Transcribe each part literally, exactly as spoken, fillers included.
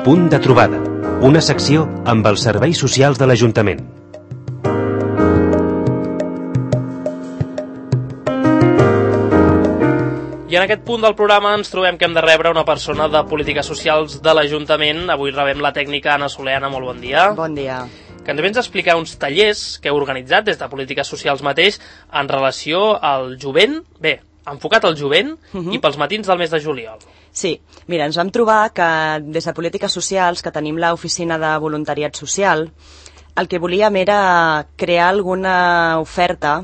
Punt de trobada, una secció amb els serveis socials de l'Ajuntament. I en aquest punt del programa ens trobem que hem de rebre una persona de polítiques socials de l'Ajuntament. Avui rebem la tècnica Anna Soler. Anna, molt bon dia. Bon dia. Que ens vens a explicar uns tallers que heu organitzat des de polítiques socials mateix en relació al jovent, bé, enfocat al jovent uh-huh. i pels matins del mes de juliol. Sí, mira, ens vam trobar que des de polítiques socials, que tenim l'oficina de voluntariat social, el que volíem era crear alguna oferta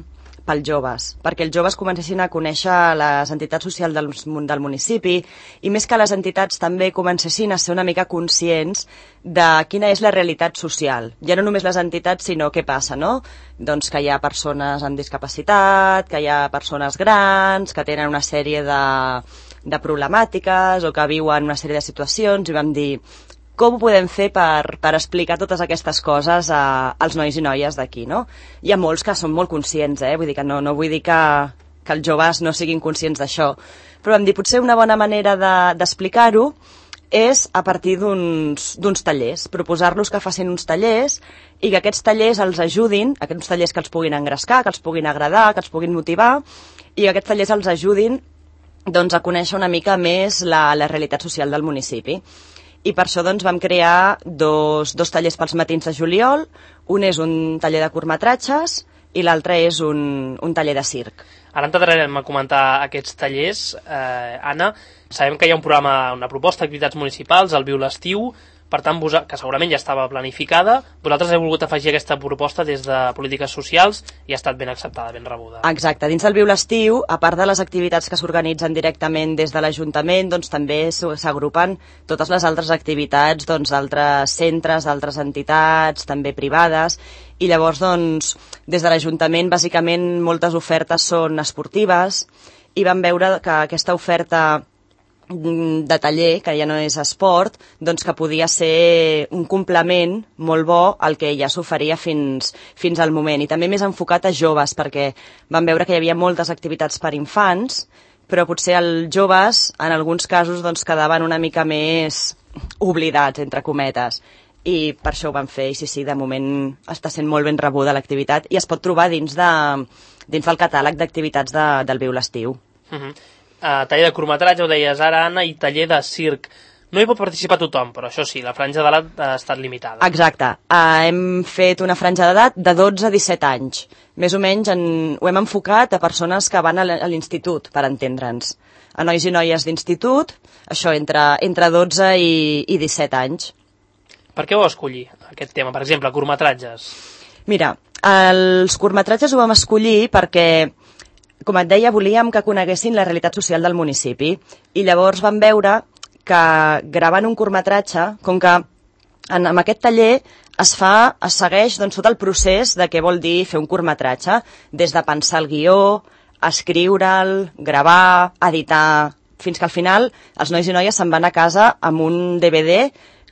pels joves, perquè els joves comencessin a conèixer les entitats socials del, del municipi i més que les entitats també comencessin a ser una mica conscients de quina és la realitat social. Ja no només les entitats, sinó què passa, no? Doncs que hi ha persones amb discapacitat, que hi ha persones grans, que tenen una sèrie de, de problemàtiques o que viuen una sèrie de situacions, i vam dir com ho podem fer per, per explicar totes aquestes coses a, als nois i noies d'aquí, no? Hi ha molts que són molt conscients, eh? Vull dir que no, no vull dir que, que els joves no siguin conscients d'això, però vam dir potser una bona manera de, d'explicar-ho és a partir d'uns, d'uns tallers, proposar-los que facin uns tallers i que aquests tallers els ajudin, aquests tallers que els puguin engrescar, que els puguin agradar, que els puguin motivar, i que aquests tallers els ajudin doncs, a conèixer una mica més la, la realitat social del municipi. I per això doncs, vam crear dos, dos tallers pels matins de juliol. Un és un taller de curtmetratges i l'altre és un, un taller de circ. Ara entrarem a comentar aquests tallers. Eh, Anna, sabem que hi ha un programa, una proposta d'activitats municipals, el Viu l'Estiu, per tant, que segurament ja estava planificada. Vosaltres heu volgut afegir aquesta proposta des de polítiques socials i ha estat ben acceptada, ben rebuda. Exacte. Dins del Viu l'Estiu, a part de les activitats que s'organitzen directament des de l'Ajuntament, doncs també s'agrupen totes les altres activitats doncs, d'altres centres, d'altres entitats, també privades, i llavors, doncs, des de l'Ajuntament, bàsicament, moltes ofertes són esportives, i vam veure que aquesta oferta de taller, que ja no és esport, doncs que podia ser un complement molt bo al que ja s'oferia fins, fins al moment, i també més enfocat a joves, perquè vam veure que hi havia moltes activitats per infants, però potser els joves, en alguns casos, doncs quedaven una mica més oblidats, entre cometes, i per això ho vam fer, i sí, sí, de moment està sent molt ben rebuda l'activitat, i es pot trobar dins, de, dins del catàleg d'activitats de, del Viu l'Estiu. Uh-huh. Uh, taller de curtmetratge, ho deies ara, Anna, i taller de circ. No hi pot participar tothom, però això sí, la franja d'edat ha estat limitada. Exacte. Uh, hem fet una franja d'edat de dotze a disset anys. Més o menys en, ho hem enfocat a persones que van a l'institut, per entendre'ns. A nois i noies d'institut, això, entre, entre dotze i, i disset anys. Per què ho escollir, aquest tema? Per exemple, curtmetratges. Mira, els curtmetratges ho vam escollir perquè, com et deia, volíem que coneguessin la realitat social del municipi, i llavors vam veure que gravant un curtmetratge, com que en, en aquest taller es fa, es segueix doncs, tot el procés de què vol dir fer un curtmetratge, des de pensar el guió, escriure'l, gravar, editar, fins que al final els nois i noies se'n van a casa amb un D V D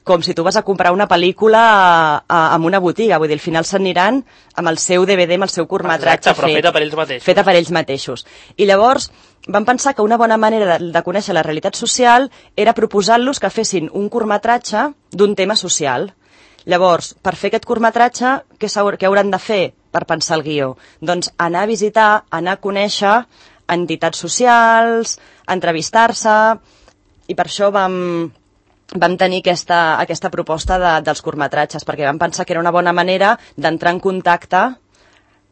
com si tu vas a comprar una pel·lícula a, a, en una botiga, vull dir, al final s'aniran amb el seu D V D, amb el seu curtmetratge fet, feta per ells mateixos. Feta per ells mateixos. I llavors vam pensar que una bona manera de, de conèixer la realitat social era proposar-los que fessin un curtmetratge d'un tema social. Llavors, per fer aquest curtmetratge, què, què hauran de fer per pensar el guió? Doncs anar a visitar, anar a conèixer entitats socials, entrevistar-se, i per això vam... vam tenir aquesta, aquesta proposta de, dels curtmetratges, perquè vam pensar que era una bona manera d'entrar en contacte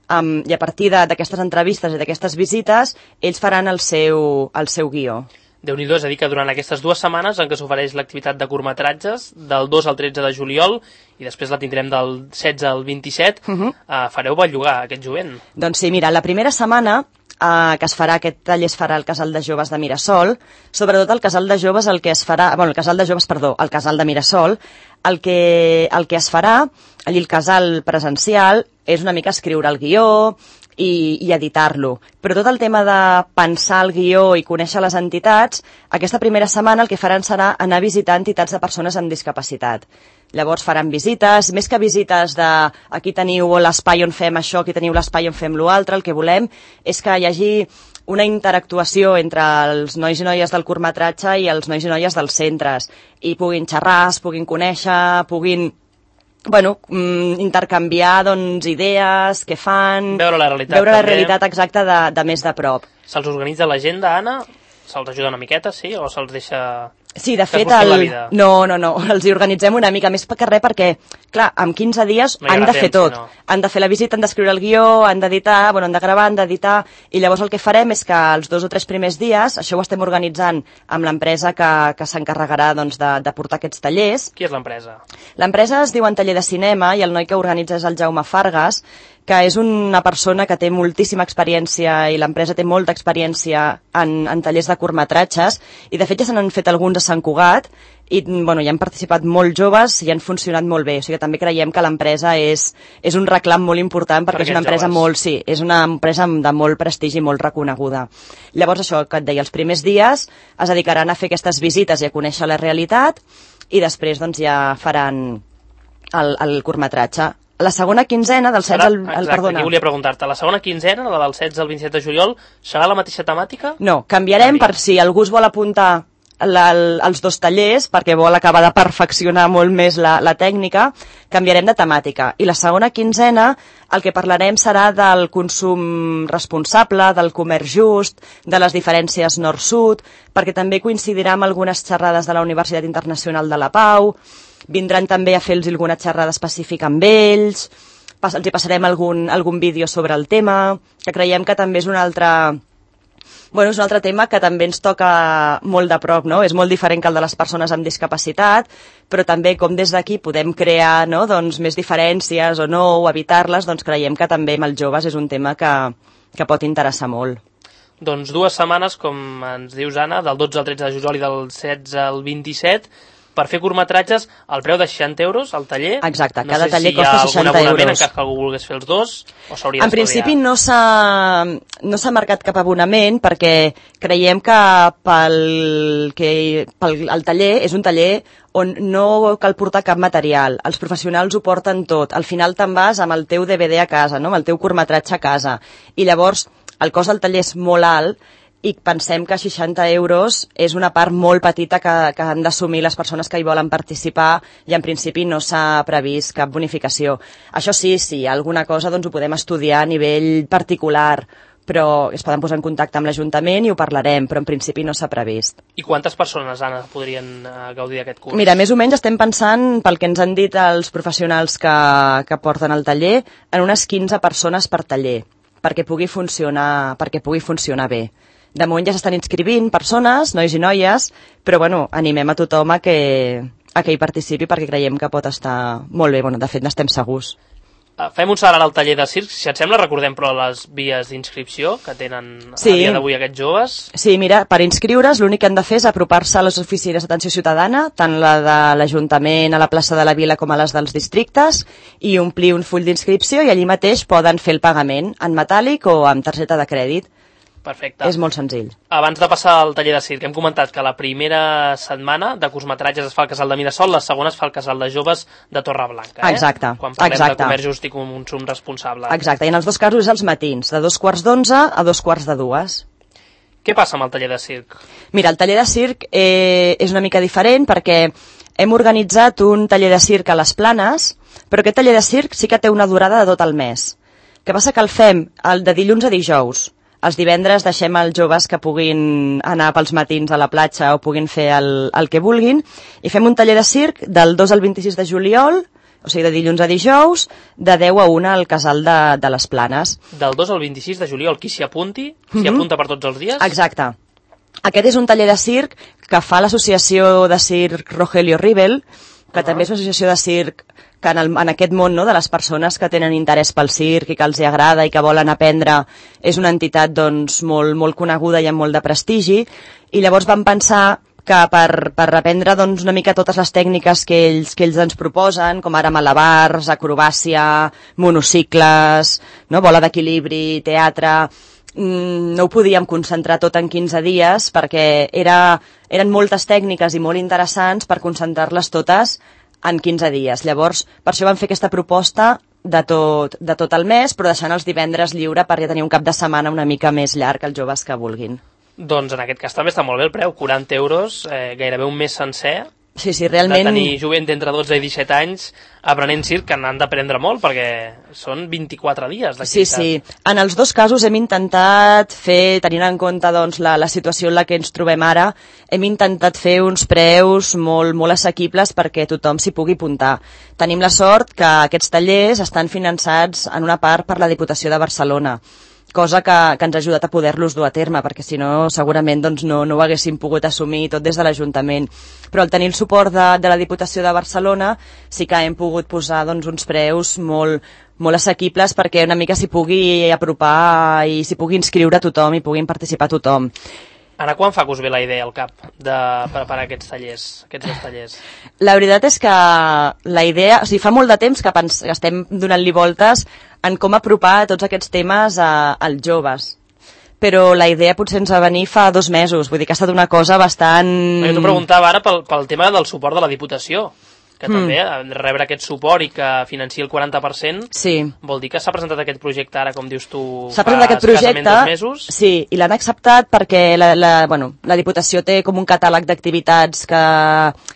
amb, i a partir d'aquestes entrevistes i d'aquestes visites ells faran el seu, el seu guió. Déu-n'hi-do, és a dir que durant aquestes dues setmanes en què s'ofereix l'activitat de curtmetratges, del dos al tretze de juliol, i després la tindrem del setze al vint-i-set, uh-huh. eh, fareu bellugar aquest jovent. Doncs sí, mira, la primera setmana Uh, que es farà, aquest taller es farà al Casal de Joves de Mirasol, sobretot al Casal de Joves el que es farà, bueno, el Casal de Joves, perdó, el Casal de Mirasol, el que, el que es farà, allí el casal presencial, és una mica escriure el guió i, i editar-lo. Però tot el tema de pensar el guió i conèixer les entitats, aquesta primera setmana el que faran serà anar a visitar entitats de persones amb discapacitat. Llavors faran visites, més que visites de aquí teniu l'espai on fem això, aquí teniu l'espai on fem l'altre, el que volem és que hi hagi una interactuació entre els nois i noies del curtmetratge i els nois i noies dels centres, i puguin xerrar, es puguin conèixer, puguin bueno, intercanviar doncs, idees, què fan... Veure la realitat, veure la també. realitat exacta de, de més de prop. Se'ls organitza l'agenda, Anna? Se'ls ajuda una miqueta, sí? O se'ls deixa... Sí, de que es fet, busquin la el... vida? no, no, no, els hi organitzem una mica més que res perquè, clar, en quinze dies No hi han haurà de fer temps, tot. si no. Han de fer la visita, han d'escriure el guió, han d'editar, bueno, han de gravar, han d'editar, i llavors el que farem és que els dos o tres primers dies, això ho estem organitzant amb l'empresa que, que s'encarregarà doncs, de, de portar aquests tallers. Qui és l'empresa? L'empresa es diu En Taller de Cinema i el noi que organitza és el Jaume Fargas, que és una persona que té moltíssima experiència i l'empresa té molta experiència en, en tallers de curtmetratges, i de fet ja se n'han fet alguns a Sant Cugat i bueno, hi han participat molts joves i han funcionat molt bé, o sigui que també creiem que l'empresa és, és un reclam molt important perquè Per és una empresa joves. molt, sí, és una empresa de molt prestigi i molt reconeguda. Llavors això que et deia, els primers dies es dedicaran a fer aquestes visites i a conèixer la realitat, i després doncs ja faran el, el curtmetratge. La segona quinzena, del setze al... Exacte, al perdona. aquí volia preguntar-te. La segona quinzena, la del setze al vint-i-set de juliol, serà la mateixa temàtica? No, canviarem per si algú es vol apuntar la, el, els dos tallers, perquè vol acabar de perfeccionar molt més la, la tècnica, canviarem de temàtica. I la segona quinzena, el que parlarem serà del consum responsable, del comerç just, de les diferències nord-sud, perquè també coincidirà amb algunes xerrades de la Universitat Internacional de la Pau. Vindran també a fer-los alguna xerrada específica amb ells, pas, els hi passarem algun, algun vídeo sobre el tema, que creiem que també és un altre, bueno, és un altre tema que també ens toca molt de prop, no? És molt diferent que el de les persones amb discapacitat, però també com des d'aquí podem crear, no? doncs, més diferències o no, o evitar-les, doncs creiem que també amb els joves és un tema que, que pot interessar molt. Doncs dues setmanes, com ens dius, Anna, del dotze al tretze de juliol i del setze al vint-i-set, per fer curtmetratges, al preu de seixanta euros al taller. Exacte, no cada sé taller si costa seixanta euros. En euros. cas que algú volgués fer els dos, o s'hauria En principi no s'ha no s'ha marcat cap abonament perquè creiem que pel, que pel el taller és un taller on no cal portar cap material. Els professionals ho porten tot. Al final te'n vas amb el teu D V D a casa, no? Amb el teu curtmetratge a casa. I llavors el cost del taller és molt alt i pensem que seixanta euros és una part molt petita que, que han d'assumir les persones que hi volen participar, i en principi no s'ha previst cap bonificació. Això sí, si hi ha alguna cosa doncs ho podem estudiar a nivell particular, però es poden posar en contacte amb l'Ajuntament i ho parlarem, però en principi no s'ha previst. I quantes persones, Anna, podrien uh, gaudir d'aquest curs? Mira, més o menys estem pensant, pel que ens han dit els professionals que, que porten el taller, en unes quinze persones per taller, perquè pugui funcionar, perquè pugui funcionar bé. De moment ja s'estan inscrivint persones, nois i noies, però bueno, animem a tothom a que, a que hi participi perquè creiem que pot estar molt bé. Bueno, de fet, n'estem segurs. Uh, fem un salt al taller de circ. Si et sembla, recordem però les vies d'inscripció que tenen Sí. a dia d'avui aquests joves. Sí, mira, per inscriure's l'únic que han de fer és apropar-se a les oficines d'atenció ciutadana, tant la de l'Ajuntament a la plaça de la Vila com a les dels districtes, i omplir un full d'inscripció i allí mateix poden fer el pagament en metàl·lic o amb targeta de crèdit. Perfecte. És molt senzill. Abans de passar al taller de circ, hem comentat que la primera setmana de curtmetratges es fa al Casal de Mirasol, la segona es fa al Casal de Joves de Torreblanca. Eh? Exacte. Quan parlem Exacte. de comerç just i consum responsable. Exacte, i en els dos casos és als matins, de dos quarts d'onze a dos quarts de dues. Què passa amb el taller de circ? Mira, el taller de circ eh, és una mica diferent perquè hem organitzat un taller de circ a les Planes, però aquest taller de circ sí que té una durada de tot el mes. Què passa que el fem el de dilluns a dijous. Els divendres deixem als joves que puguin anar pels matins a la platja o puguin fer el, el que vulguin, i fem un taller de circ del dos al vint-i-sis de juliol, o sigui, de dilluns a dijous, de deu a una al Casal de, de les Planes. Del dos al vint-i-sis de juliol, qui s'hi apunti? S'hi Mhm. apunta per tots els dies? Exacte. Aquest és un taller de circ que fa l'associació de circ Rogelio Rivel, que Ah. també és una associació de circ que en, el, en aquest món, no, de les persones que tenen interès pel circ i que els hi agrada i que volen aprendre, és una entitat doncs, molt, molt coneguda i amb molt de prestigi, i llavors vam pensar que per, per aprendre doncs, una mica totes les tècniques que ells, que ells ens proposen, com ara malabars, acrobàcia, monocicles, no, bola d'equilibri, teatre, no ho podíem concentrar tot en quinze dies perquè era, eren moltes tècniques i molt interessants per concentrar-les totes en quinze dies. Llavors, per això vam fer aquesta proposta de tot, de tot el mes, però deixant els divendres lliure per ja tenir un cap de setmana una mica més llarg els joves que vulguin. Doncs en aquest cas també està molt bé el preu, quaranta euros, eh, gairebé un mes sencer. Sí, sí, realment... De tenir jovent d'entre dotze i disset anys aprenent circ, que n'han d'aprendre molt, perquè són vint-i-quatre dies d'activitat. Sí, sí. En els dos casos hem intentat fer, tenint en compte doncs, la, la situació en la que ens trobem ara, hem intentat fer uns preus molt, molt assequibles perquè tothom s'hi pugui apuntar. Tenim la sort que aquests tallers estan finançats en una part per la Diputació de Barcelona, cosa que, que ens ha ajudat a poder-los dur a terme, perquè si no segurament doncs, no, no ho haguéssim pogut assumir tot des de l'Ajuntament. Però al tenir el suport de, de la Diputació de Barcelona sí que hem pogut posar doncs, uns preus molt, molt assequibles perquè una mica s'hi pugui apropar i s'hi pugui inscriure tothom i puguin participar tothom. Ara, quan fa que us ve la idea al cap de preparar aquests tallers, aquests dos tallers? La veritat és que la idea... O sigui, fa molt de temps que, pens, que estem donant-li voltes en com apropar tots aquests temes a, als joves. Però la idea potser ens va venir fa dos mesos, vull dir que ha estat una cosa bastant... Jo t'ho preguntava ara pel, pel tema del suport de la Diputació, que mm. també rebre aquest suport i que financi el quaranta per cent, sí. Vol dir que s'ha presentat aquest projecte ara, com dius tu, s'ha presentat aquest projecte, dos mesos? Sí, i l'han acceptat perquè la, la, bueno, la Diputació té com un catàleg d'activitats que,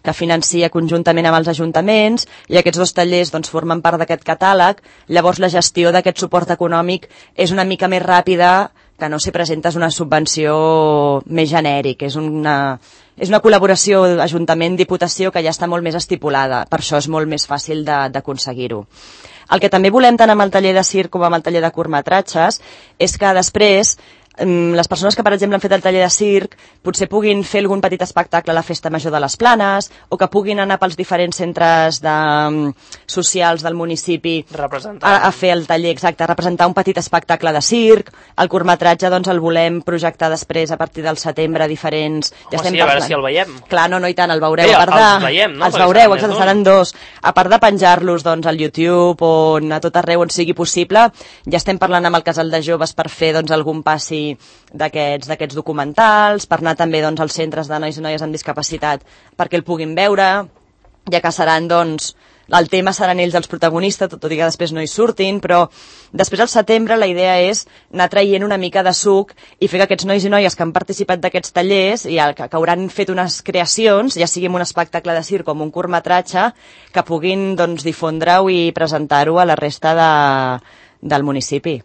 que financia conjuntament amb els ajuntaments i aquests dos tallers doncs, formen part d'aquest catàleg, llavors la gestió d'aquest suport econòmic és una mica més ràpida que no si presentes una subvenció més genèric, és una, és una col·laboració Ajuntament-Diputació que ja està molt més estipulada, per això és molt més fàcil d'aconseguir-ho. El que també volem tant amb el taller de circ com amb el taller de curtmetratges és que després les persones que, per exemple, han fet el taller de circ potser puguin fer algun petit espectacle a la Festa Major de les Planes o que puguin anar pels diferents centres de, socials del municipi a, a fer el taller, exacte, a representar un petit espectacle de circ. El curtmetratge doncs, el volem projectar després a partir del setembre a diferents... Home, ja estem sí, a veure si el veiem. Clar, no, no, i tant, el veureu. Bé, a part de... els veiem, no? Els veureu, exacte, seran dos. A part de penjar-los doncs, al YouTube o a tot arreu on sigui possible, ja estem parlant amb el Casal de Joves per fer doncs, algun passi d'aquests d'aquests documentals, per anar també doncs, als centres de nois i noies amb discapacitat perquè el puguin veure, ja que seran, doncs, el tema seran ells els protagonistes, tot i que després no hi surtin, però després al setembre la idea és anar traient una mica de suc i fer que aquests nois i noies que han participat d'aquests tallers i que, que hauran fet unes creacions, ja sigui un espectacle de circ com un curtmetratge, que puguin doncs, difondre-ho i presentar-ho a la resta de, del municipi.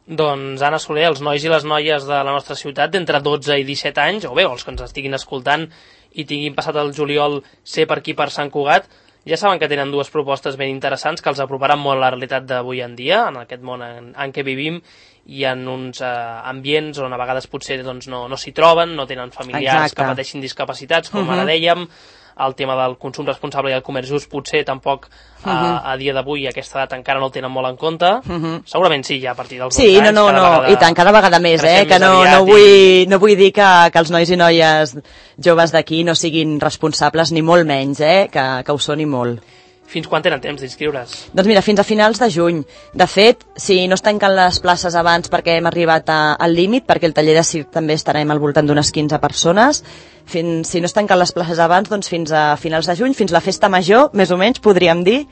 Doncs, Anna Soler, els nois i les noies de la nostra ciutat d'entre dotze i disset anys, o bé, els que ens estiguin escoltant i tinguin passat el juliol ser per aquí per Sant Cugat, ja saben que tenen dues propostes ben interessants que els aproparan molt a la realitat d'avui en dia, en aquest món en, en què vivim, i en uns eh, ambients on a vegades potser doncs, no, no s'hi troben, no tenen familiars Exacte. Que pateixin discapacitats, com uh-huh. ara dèiem, el tema del consum responsable i el comerç just potser tampoc uh-huh. a, a dia d'avui aquesta edat encara no el tenen molt en compte. Uh-huh. Segurament sí, ja a partir dels sí, anys. Sí, no, no, no, vegada, i tant, cada vegada més, eh? Que no, no, vull, i... no vull dir que, que els nois i noies joves d'aquí no siguin responsables, ni molt menys, eh? Que, que ho són i molt. Fins quan tenen temps d'inscriure's? Doncs mira, fins a finals de juny. De fet, si no es tanquen les places abans perquè hem arribat a, al límit, perquè el taller de circ també estarem al voltant d'unes quinze persones, fins, si no es tanquen les places abans, doncs fins a finals de juny, fins la festa major, més o menys, podríem dir,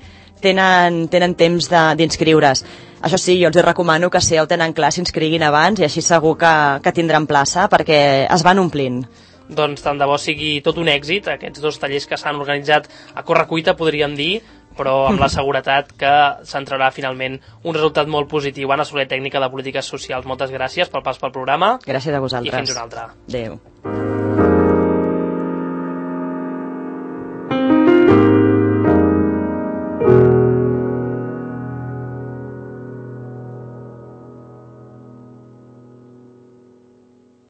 tenen, tenen temps d'inscriure's. Això sí, jo els recomano que si ja ho tenen clar s'inscriguin abans i així segur que, que tindran plaça perquè es van omplint. Doncs tant de bo sigui tot un èxit, aquests dos tallers que s'han organitzat a correcuita, podríem dir, però amb la seguretat que s'entrarà finalment un resultat molt positiu. Anna Soler, tècnica de Polítiques Socials, moltes gràcies pel pas pel programa. Gràcies a vosaltres. I fins una altra. Adéu.